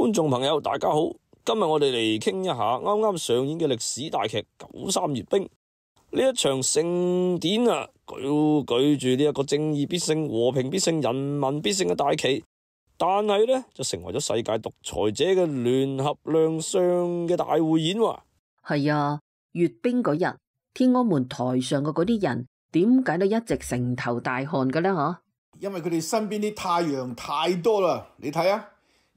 觀眾朋友大家好，今日我哋嚟傾一下啱啱上演嘅歷史大劇《93閱兵》呢一場盛典啊，舉住呢一個正義必勝、和平必勝、人民必勝嘅大旗，但係呢，就成為咗世界獨裁者嘅聯合亮相嘅大會演喎。係啊，閱兵嗰日，天安門台上嘅嗰啲人點解都一直成頭大汗嘅呢？嗬，因為佢哋身邊啲太陽太多啦。你睇下，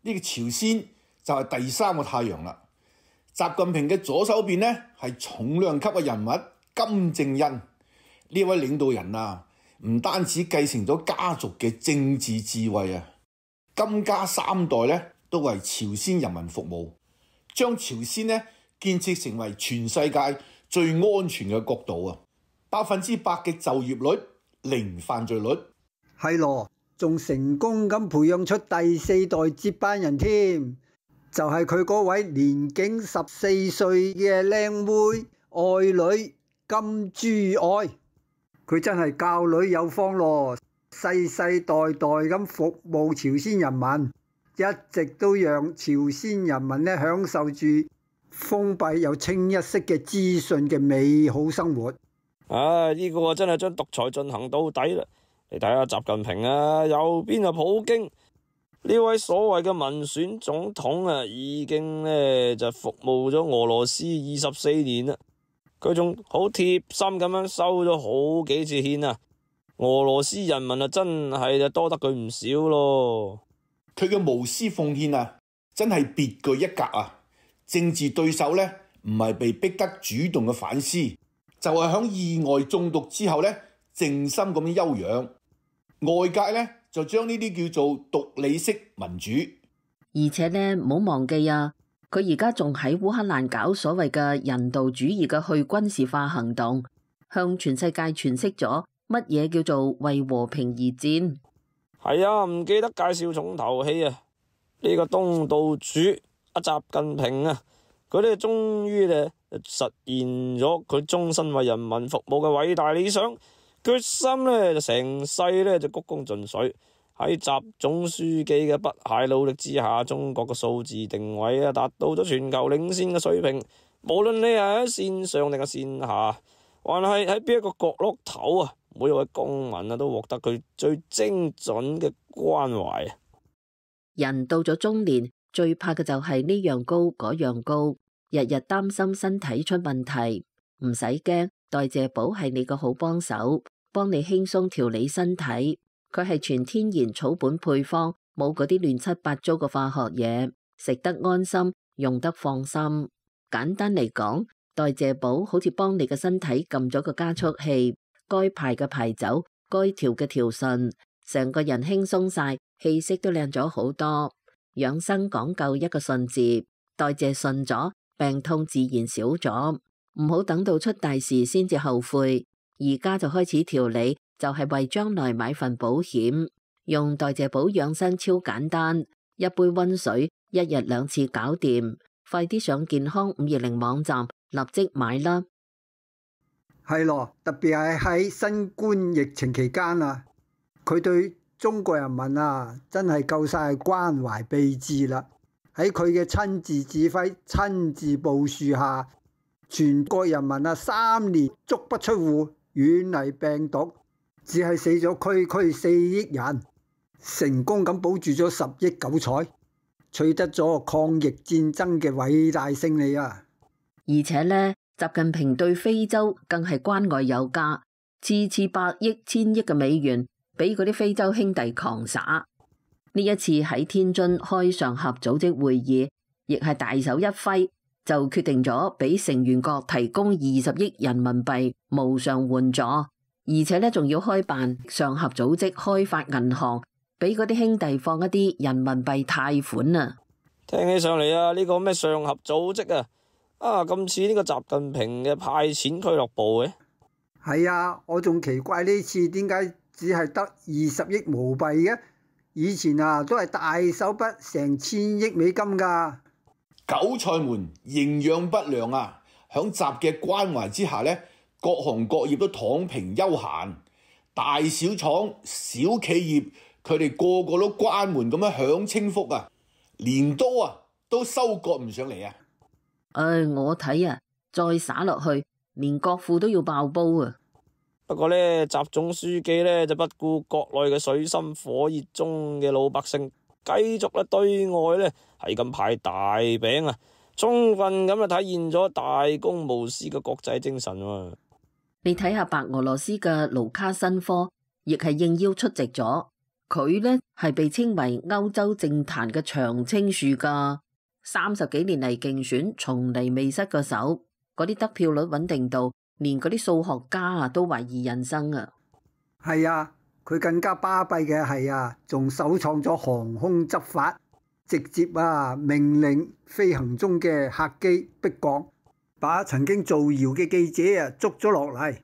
呢個朝鮮就係第三個太陽啦。習近平嘅左手邊呢，係重量級嘅人物金正恩。呢位領導人啊，唔單止繼承咗家族嘅政治智慧啊，金家三代呢都為朝鮮人民服務，將朝鮮呢建設成為全世界最安全嘅國度啊！100%嘅就業率，零犯罪率，係咯，仲成功咁培養出第四代接班人添，就係佢嗰位年僅14歲嘅靚妹愛女金珠愛，佢真係教女有方咯，世世代代咁服務朝鮮人民，一直都讓朝鮮人民呢享受住封閉又清一色嘅資訊嘅美好生活。呢個真係將獨裁進行到底啦！你睇下習近平啊，右邊啊普京呢位所謂嘅民選總統啊，已經呢就服務咗俄羅斯24年啦。佢仲好貼心咁樣收咗好幾次獻啊！俄羅斯人民啊，真係就多得佢唔少咯。佢嘅無私奉獻啊，真係別具一格啊！政治對手呢，唔係被逼得主動嘅反思，就係響意外中毒之後呢，靜心咁樣休養。外界呢，就將呢啲叫做獨理式民主。而且呢，唔好忘記啊，佢而家仲喺烏克蘭搞所謂嘅人道主義嘅去軍事化行動，向全世界詮釋咗乜嘢叫做為和平而戰。係啊，唔記得介紹重頭戲啊！呢個東道主阿習近平啊，佢哋終於咧實現咗佢終身為人民服務嘅偉大理想，決心咧就成世咧就鞠躬盡瘁。喺習總書記嘅不懈努力之下，中國嘅數字定位啊達到咗全球領先嘅水平。無論你係喺線上定係線下，還係喺邊一個角落頭啊，每一位公民啊都獲得佢最精準嘅關懷啊！人到咗中年，最怕嘅就係呢樣高嗰樣高，日日擔心身體出問題。唔使驚，代謝寶係你個好幫手，幫你輕鬆調理身體。佢係全天然草本配方，冇嗰啲亂七八糟嘅化學嘢，食得安心，用得放心。簡單嚟講，代謝寶好似幫你嘅身體撳咗個加速器，該排嘅排走，該調嘅調順，成個人輕鬆晒，氣色都靚咗好多。養生講究一個順字，代謝順咗，病痛自然少咗。唔好等到出大事先至後悔，而家就開始調理，就係為將來買份保險。用代謝寶養生超簡單，一杯溫水，一日2次搞掂。快啲上健康520網站立即買啦！係咯，特別係喺新冠疫情期間啊，佢對中國人民啊真係夠晒關懷備至啦。喺佢嘅親自指揮、親自部署下，全國人民啊3年足不出戶，遠離病毒，只係死咗區4億人，成功咁保住咗10億韭菜，取得咗抗疫戰爭嘅偉大勝利啊！而且呢，習近平對非洲更係關愛有加，次百億、千億嘅美元俾嗰啲非洲兄弟狂撒。呢一次喺天津開上合組織會議，亦係大手一揮，就決定咗俾成員國提供20億人民幣無償援助，而且呢仲要開辦上合組織開發銀行，俾嗰啲兄弟放一啲人民幣貸款啊！聽起上嚟啊，呢個咩上合組織啊，咁似呢個習近平嘅派錢俱樂部嘅。係啊，我仲奇怪呢次點解只係得20億毛幣嘅？以前啊都係大手筆成1000億美金噶。韭菜們營養不良啊，響習嘅關懷之下呢，各行各業都躺平休閒，大小廠、小企業佢哋個個都關門咁樣享清福啊！鐮刀啊都收割唔上嚟啊！我睇啊，再灑落去，連國庫都要爆煲啊！不過呢，習總書記呢就不顧國內嘅水深火熱中嘅老百姓，繼續咧對外呢係咁派大餅啊，充分咁啊體現咗大公無私嘅國際精神喎。你睇下白俄羅斯嘅盧卡申科，亦係應邀出席咗。佢呢係被稱為歐洲政壇嘅長青樹噶，30幾年嚟競選從嚟未失過手，嗰啲得票率穩定度，連嗰啲數學家啊都懷疑人生啊。係啊，佢更加巴閉嘅係啊，仲首創咗航空執法，直接命令飛行中嘅客機迫降，把曾經造謠嘅記者捉咗落嚟，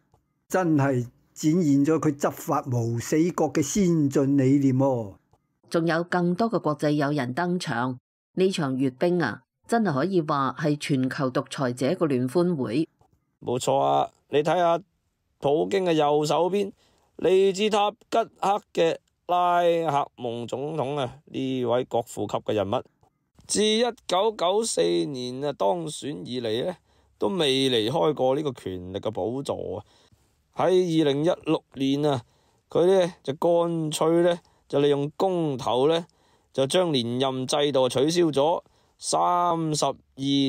真係展現咗佢執法無死角嘅先進理念喎。仲有更多嘅國際友人登場，呢場閱兵啊，真係可以話係全球獨裁者嘅聯歡會。冇錯啊，你睇下普京嘅右手邊，嚟自塔吉克嘅拉赫蒙總統啊，呢位國父級嘅人物，自1994年當選以嚟呢，都未離開過呢個權力嘅寶座啊！喺2016年啊，佢呢就乾脆呢，就利用公投呢，就將連任制度取消咗。32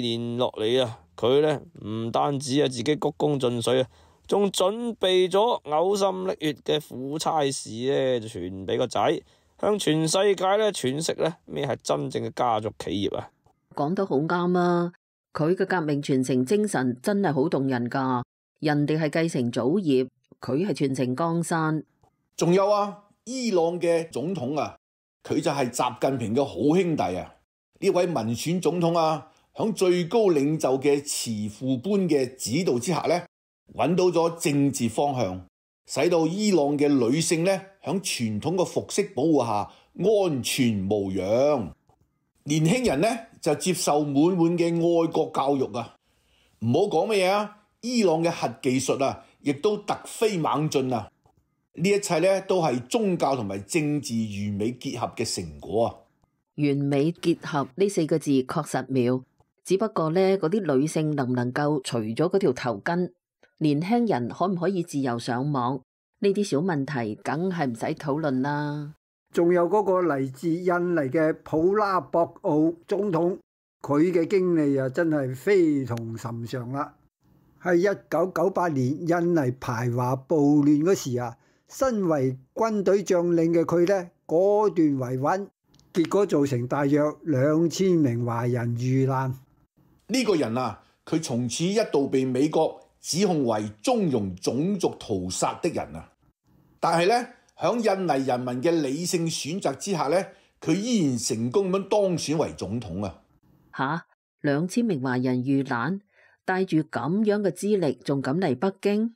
年落嚟啊，佢呢唔單止自己鞠躬盡瘁啊，仲準備咗嘔心瀝血嘅苦差事呢，就傳俾個仔，向全世界呢詮釋呢咩係真正嘅家族企業啊！講得好啱啊！佢嘅革命傳承精神真係好動人噶，人哋係繼承祖業，佢係傳承江山。仲有啊，伊朗嘅總統啊，佢就係習近平嘅好兄弟啊！呢位民選總統啊，響最高領袖嘅慈父般嘅指導之下呢，揾到咗政治方向，使到伊朗嘅女性呢，響傳統嘅服飾保護下安全無恙。年輕人呢，就接受滿滿嘅愛國教育啊！唔好講乜嘢啊，伊朗嘅核技術啊，亦都突飛猛進啊！呢一切呢，都係宗教同埋政治完美結合嘅成果啊！完美結合呢4個字確實妙，只不過呢，嗰啲女性能唔能夠除咗嗰條頭巾，年輕人可唔可以自由上網，呢啲小問題梗係唔使討論啦。仲有嗰個嚟自印尼嘅普拉博奧總統，佢嘅經歷啊真係非同尋常啦。喺1998年印尼排華暴亂嗰時啊，身為軍隊將領嘅佢呢，果斷維穩，結果造成大約2000名華人遇難。呢個人啊，佢從此一度被美國指控為縱容種族屠殺的人啊，但係呢，響印尼人民嘅理性選擇之下呢，佢依然成功咁當選為總統啊！吓，2000名華人遇難，帶住咁樣嘅資歷，仲敢嚟北京？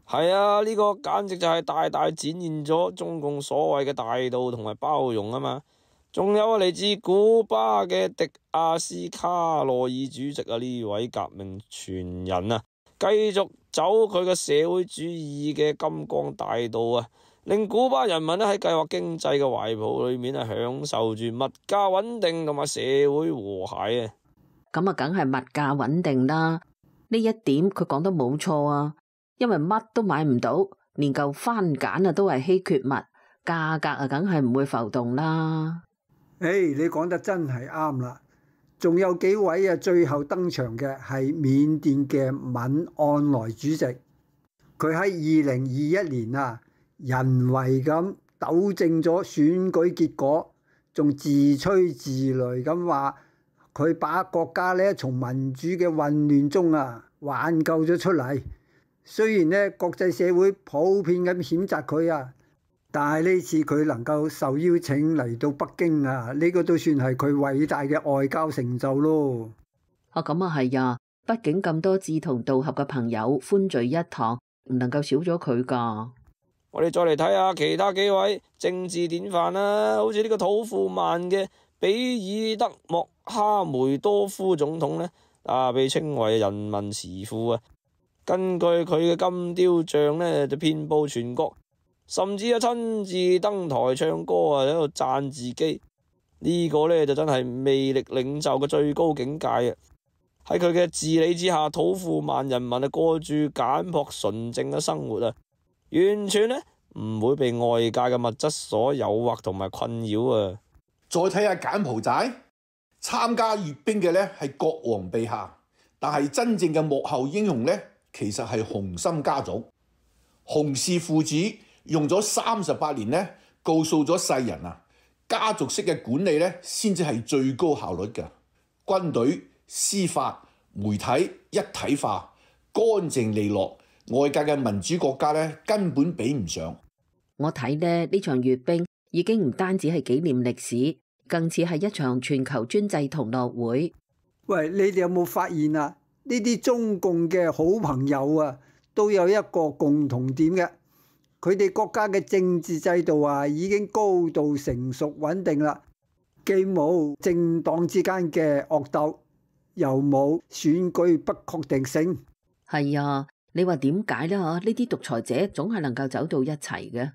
係啊，呢個簡直就係大大展現咗中共所謂嘅大度同埋包容啊嘛！仲有嚟自古巴嘅迪亞斯卡羅爾主席啊，呢位革命傳人啊，繼續走佢嘅社會主義嘅金光大道啊！令古巴人民咧喺計劃經濟嘅懷抱裏面咧，享受住物價穩定同埋社會和諧啊！咁啊，梗係物價穩定啦。呢一點佢講得冇錯啊，因為乜都買唔到，連嚿番梘啊都係稀缺物，價格啊梗係唔會浮動啦。你講得真係啱啦。仲有幾位啊，最後登場嘅係緬甸嘅敏昂萊主席，佢喺2021年啊，人為咁糾正咗選舉結果，仲自吹自擂咁話佢把國家呢從民主嘅混亂中挽救咗出嚟。雖然呢國際社會普遍咁譴責佢啊，但係呢次佢能夠受邀請嚟到北京啊，呢個都算係佢偉大嘅外交成就咯。咁啊係啊，畢竟咁多志同道合嘅朋友歡聚一堂，唔能夠少咗佢噶。我哋再嚟睇下其他幾位政治典範啦，好似呢個土庫曼嘅比爾德莫哈梅多夫總統呢，被稱為人民慈父啊。根據佢嘅金雕像呢，就遍佈全國，甚至親自登台唱歌喺度讚自己。呢個呢，就真係魅力領袖嘅最高境界啊！喺佢嘅治理之下，土庫曼人民啊過住簡樸純正嘅生活啊，完全呢唔會被外界嘅物質所誘惑同埋困擾啊！再睇下柬埔寨，參加閱兵嘅呢係國王陛下，但係真正嘅幕後英雄呢，其實係洪森家族。洪氏父子用咗38年呢，告訴咗世人啊，家族式嘅管理呢先至係最高效率嘅。軍隊、司法、媒體一體化，乾淨利落，外界嘅民主國家呢根本比唔上。我睇呢場閱兵已經唔單止係紀念歷史，更似係一場全球專制同樂會。喂，你哋有冇發現啊？呢啲中共嘅好朋友啊，都有一個共同點嘅，佢哋國家嘅政治制度啊已經高度成熟穩定啦，既冇政黨之間嘅惡鬥，又冇選舉不確定性。係啊，你話點解呢？呢啲獨裁者總係能夠走到一齊嘅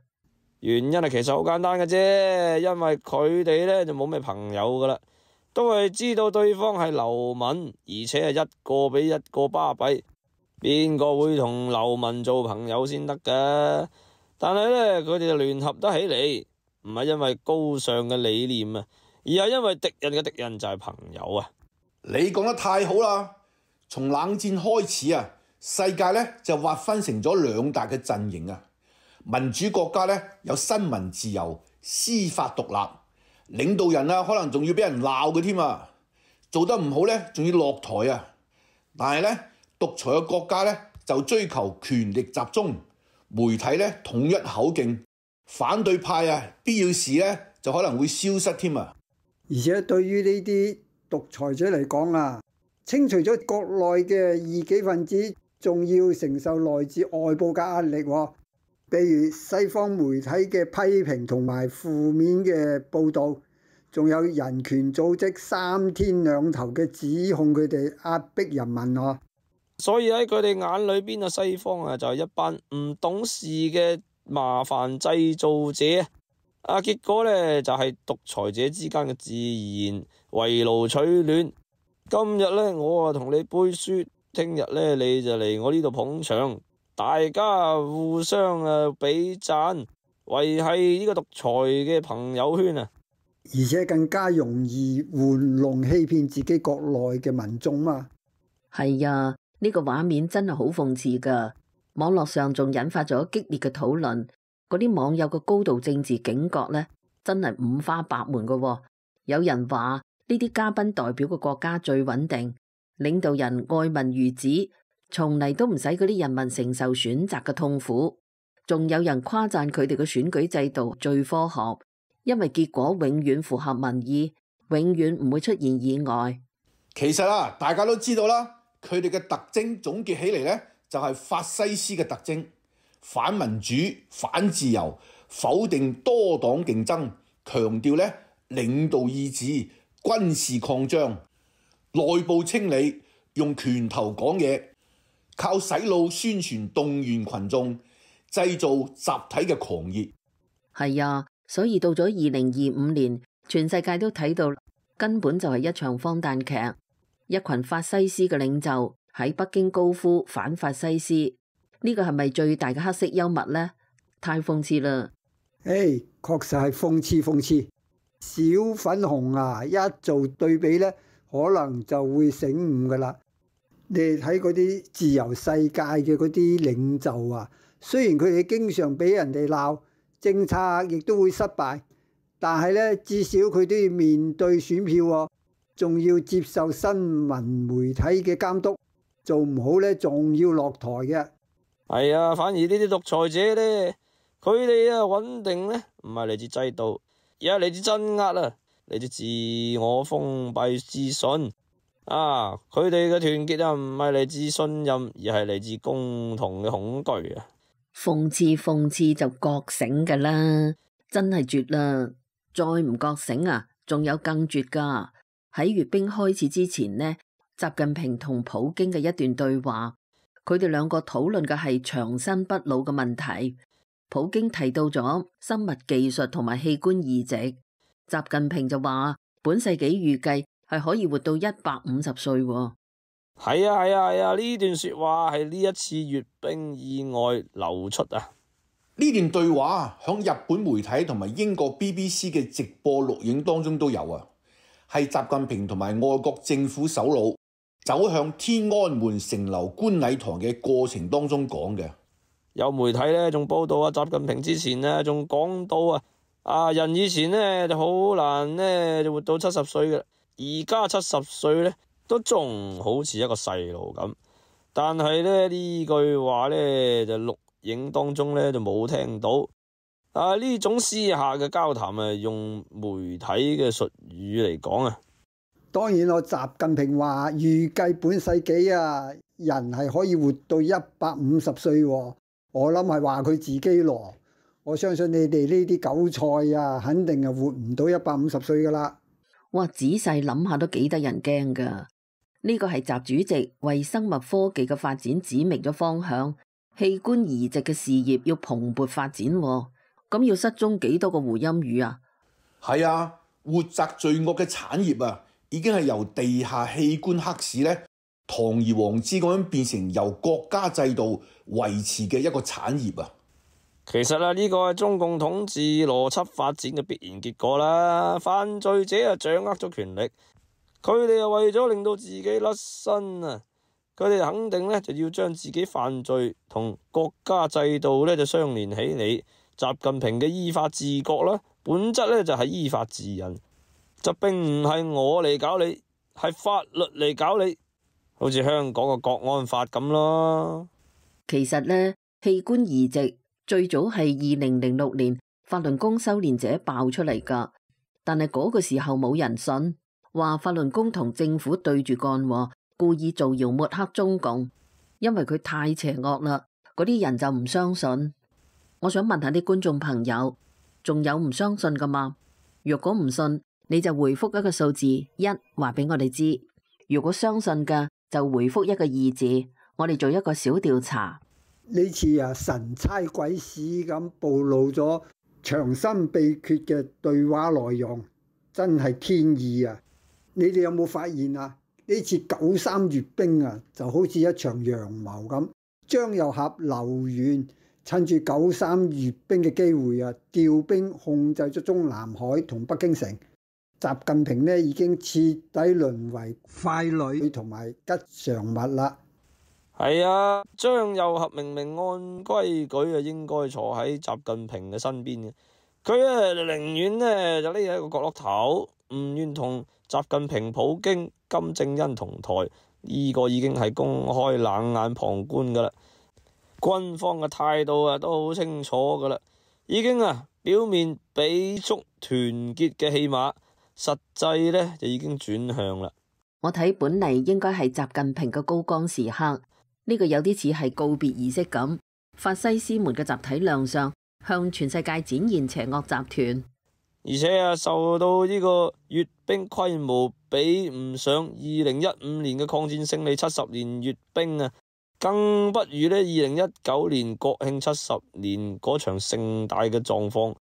原因係其實好簡單嘅啫，因為佢哋呢就冇咩朋友噶啦，都係知道對方係流民，而且係一個比一個巴閉，邊個會同流民做朋友先得噶？但係呢，佢哋就聯合得起嚟，唔係因為高尚嘅理念啊，而係因為敵人嘅敵人就係朋友啊！你講得太好啦！從冷戰開始啊，世界呢就劃分成咗兩大嘅陣營啊。民主國家呢有新聞自由、司法獨立，領導人啊可能仲要俾人鬧嘅添啊，做得唔好呢仲要落台啊。但係呢，獨裁嘅國家呢就追求權力集中，媒體呢統一口徑，反對派啊必要時呢就可能會消失添啊。而且對於呢啲獨裁者嚟講啊，清除咗國內嘅異己分子，仲要承受來自外部嘅壓力喎。比如西方媒體嘅批評同埋負面嘅報導，仲有人權組織三天兩頭嘅指控佢哋壓迫人民喎。所以喺佢哋眼裏邊啊，西方啊就係一班唔懂事嘅麻煩製造者啊，結果呢，就係獨裁者之間嘅自然圍爐取暖。今日呢，我啊同你背書，聽日呢，你就嚟我呢度捧場。大家互相比讚，維繫呢個獨裁嘅朋友圈啊！而且更加容易玩弄欺騙自己國內嘅民眾嘛。係啊，呢個畫面真係好諷刺噶。網絡上仲引發咗激烈嘅討論，嗰啲網友嘅高度政治警覺呢，真係五花八門噶喎。有人話呢啲嘉賓代表嘅國家最穩定，領導人愛民如子，從嚟都唔使嗰啲人民承受選擇嘅痛苦，仲有人誇讚佢哋嘅選舉制度最科學，因為結果永遠符合民意，永遠唔會出現意外。其實啊，大家都知道啦，佢哋嘅特徵總結起嚟呢，就係法西斯嘅特徵：反民主、反自由，否定多黨競爭，強調呢領導意志、軍事擴張、內部清理，用拳頭講嘢。靠洗腦宣傳動員群眾，製造集體嘅狂熱。係啊，所以到咗2025年，全世界都睇到根本就係一場荒誕劇。一群法西斯嘅領袖喺北京高呼反法西斯，呢個係咪最大嘅黑色幽默呢？太諷刺啦！確實係諷刺。小粉紅啊，一做對比呢，可能就會醒悟噶啦。你哋睇嗰啲自由世界嘅嗰啲領袖啊，雖然佢哋經常俾人哋鬧，政策亦都會失敗，但係呢，至少佢都要面對選票喎，仲要接受新聞媒體嘅監督，做唔好呢，仲要落台嘅。係啊，反而呢啲獨裁者呢，佢哋啊穩定呢，唔係嚟自制度，而係嚟自鎮壓啊，嚟自自我封閉自信。佢哋嘅團結啊，唔係嚟自信任，而係嚟自共同嘅恐懼啊！諷刺就覺醒噶啦，真係絕啦！再唔覺醒啊，仲有更絕噶。喺閱兵開始之前呢，習近平同普京嘅一段對話，佢哋兩個討論嘅係長生不老嘅問題。普京提到咗生物技術同埋器官移植，習近平就話本世紀預計係可以活到150歲喎。係啊，呢段說話係呢一次閱兵意外流出啊。呢段對話響日本媒體同埋英國 BBC 嘅直播錄影當中都有啊，係習近平同埋外國政府首腦走向天安門城樓觀禮堂嘅過程當中講嘅。有媒體咧仲報道啊，習近平之前咧仲講到人以前咧就好難咧就活到70歲嘅，而家70歲咧都仲好似一個細路咁。但係咧呢句話咧就錄影當中咧就冇聽到。呢種私下嘅交談用媒體嘅術語嚟講啊。當然我習近平話預計本世紀人係可以活到150歲喎。我諗係話佢自己咯。我相信你哋呢啲韭菜肯定係活唔到150歲噶啦。哇！仔細諗下都幾得人驚噶。呢個係習主席為生物科技嘅發展指明咗方向，器官移植嘅事業要蓬勃發展喎。咁要失蹤幾多個胡鑫宇啊？係啊，活摘罪惡嘅產業已經係由地下器官黑市咧堂而皇之咁樣變成由國家制度維持嘅一個產業啊。其實呢個係中共統治邏輯發展嘅必然結果啦。犯罪者掌握咗權力，佢哋為咗令到自己甩身佢哋肯定咧就要將自己犯罪同國家制度咧就相連起嚟。習近平嘅依法治國啦，本質咧就係依法治人，就並唔係我嚟搞你，係法律嚟搞你，好似香港嘅國安法咁咯。其實呢，器官移植最早係2006年法輪功修煉者爆出嚟噶，但係嗰個時候冇人信，話法輪功同政府對住幹，故意造謠抹黑中共，因為佢太邪惡啦，嗰啲人就唔相信。我想問下啲觀眾朋友，仲有唔相信噶嘛？如果唔信，你就回覆一個數字1，話俾我哋知。如果相信嘅，就回覆一個2字，我哋做一個小調查。呢次神差鬼使咁暴露咗長生秘訣嘅對話內容，真係天意啊！你哋有冇發現呢次93閱兵就好似一場陽謀咁，張又俠、劉源趁住93閱兵嘅機會調兵控制咗中南海同北京城。習近平呢已經徹底淪為傀儡同埋吉祥物啦。係啊，張又俠明明按規矩應該坐喺習近平嘅身邊嘅，佢寧願呢就匿喺個角落頭，唔願同習近平、普京、金正恩同台。呢個已經係公開冷眼旁觀噶啦。軍方嘅態度都好清楚噶啦，已經表面俾足團結嘅戲碼，實際呢就已經轉向啦。我睇本嚟應該係習近平嘅高光時刻，呢個有啲似係告別儀式咁。法西斯們嘅集體亮相，向全世界展現邪惡集團，而且受到呢個閱兵規模比唔上2015年嘅抗戰勝利70年閱兵更不如呢2019年國慶70年嗰場盛大嘅狀況。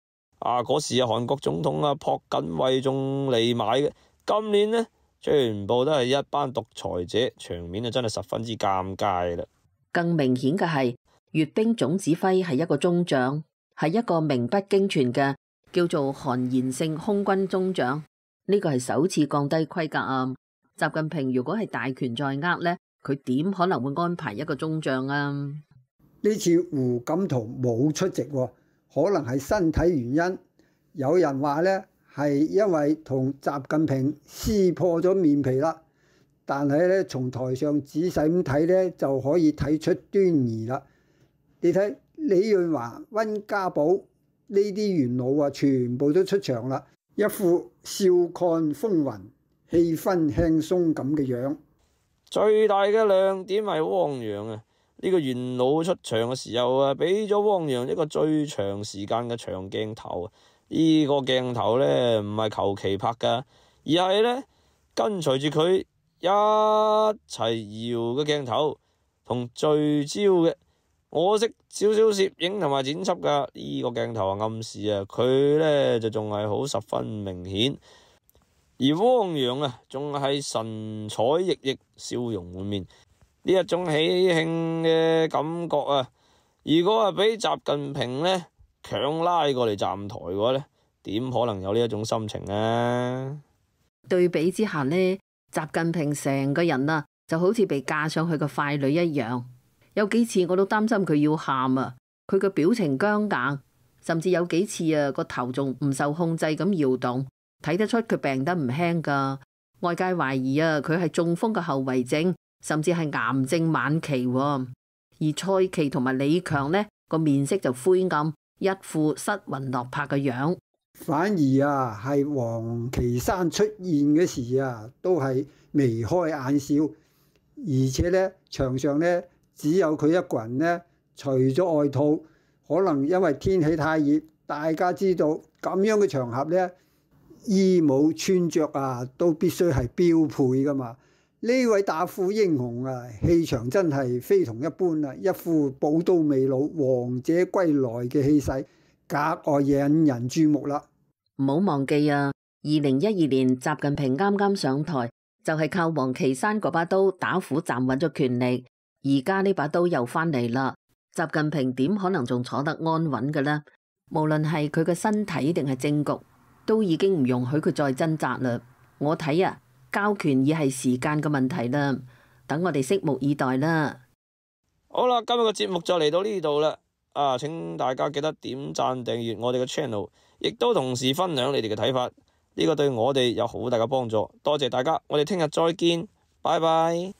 嗰時韓國總統朴槿惠仲嚟埋嘅。今年呢，全部都係一班獨裁者，場面真係十分之尷尬啦。更明顯嘅係，閱兵總指揮係一個中將，係一個名不經傳嘅叫做韓延勝空軍中將。呢個係首次降低規格啊！習近平如果係大權在握呢，佢點可能會安排一個中將啊？呢次胡錦濤冇出席，可能係身體原因。有人話呢係因為同習近平撕破咗面皮啦，但係呢，從台上仔細咁睇呢，就可以睇出端倪啦。你睇李潤華、溫家寶呢啲元老全部都出場啦，一副笑看風雲、氣氛輕鬆咁嘅樣。最大嘅亮點係汪洋呢個元老出場嘅時候俾咗汪洋一個最長時間嘅長鏡頭。呢個鏡頭呢唔係求其拍噶，而係呢跟隨住佢一齊搖嘅鏡頭，同聚焦嘅我識少少攝影同埋剪輯噶，呢個鏡頭暗示佢呢就仲係好十分明顯，而汪洋仲係神采奕奕，笑容滿面，呢一種喜慶嘅感覺如果俾習近平呢強拉過嚟站台嘅話呢，點可能有呢一種心情啊？對比之下呢，習近平成個人就好似被架上去個傀儡一樣，有幾次我都擔心佢要喊佢個表情僵硬，甚至有幾次個頭仲唔受控制咁搖動，睇得出佢病得唔輕噶。外界懷疑佢係中風嘅後遺症，甚至係癌症晚期。而蔡奇同埋李強呢個面色就灰暗，一副失魂落魄嘅樣。反而係王岐山出現嘅時都係眉開眼笑，而且呢場上呢只有佢一個人呢除咗外套，可能因為天氣太熱，大家知道咁樣嘅場合呢，衣帽穿着都必須係標配噶嘛。呢位打虎英雄氣場真係非同一般一副寶刀未老，王者歸來嘅氣勢，格外引人注目啦。唔好忘記2012年習近平啱啱上台，就係靠王岐山嗰把刀打虎站穩咗權力，而家呢把刀又翻嚟啦，習近平點可能仲坐得安穩嘅呢？無論係佢嘅身體定係政局，都已經唔容許佢再掙扎啦。我睇交權已係時間嘅問題啦，等我哋拭目以待啦。好啦，今日嘅節目就嚟到呢度啦。請大家記得點讚訂閱我哋嘅 channel， 亦都同時分享你哋嘅睇法，呢個對我哋有好大嘅幫助。多謝大家，我哋聽日再見，拜拜。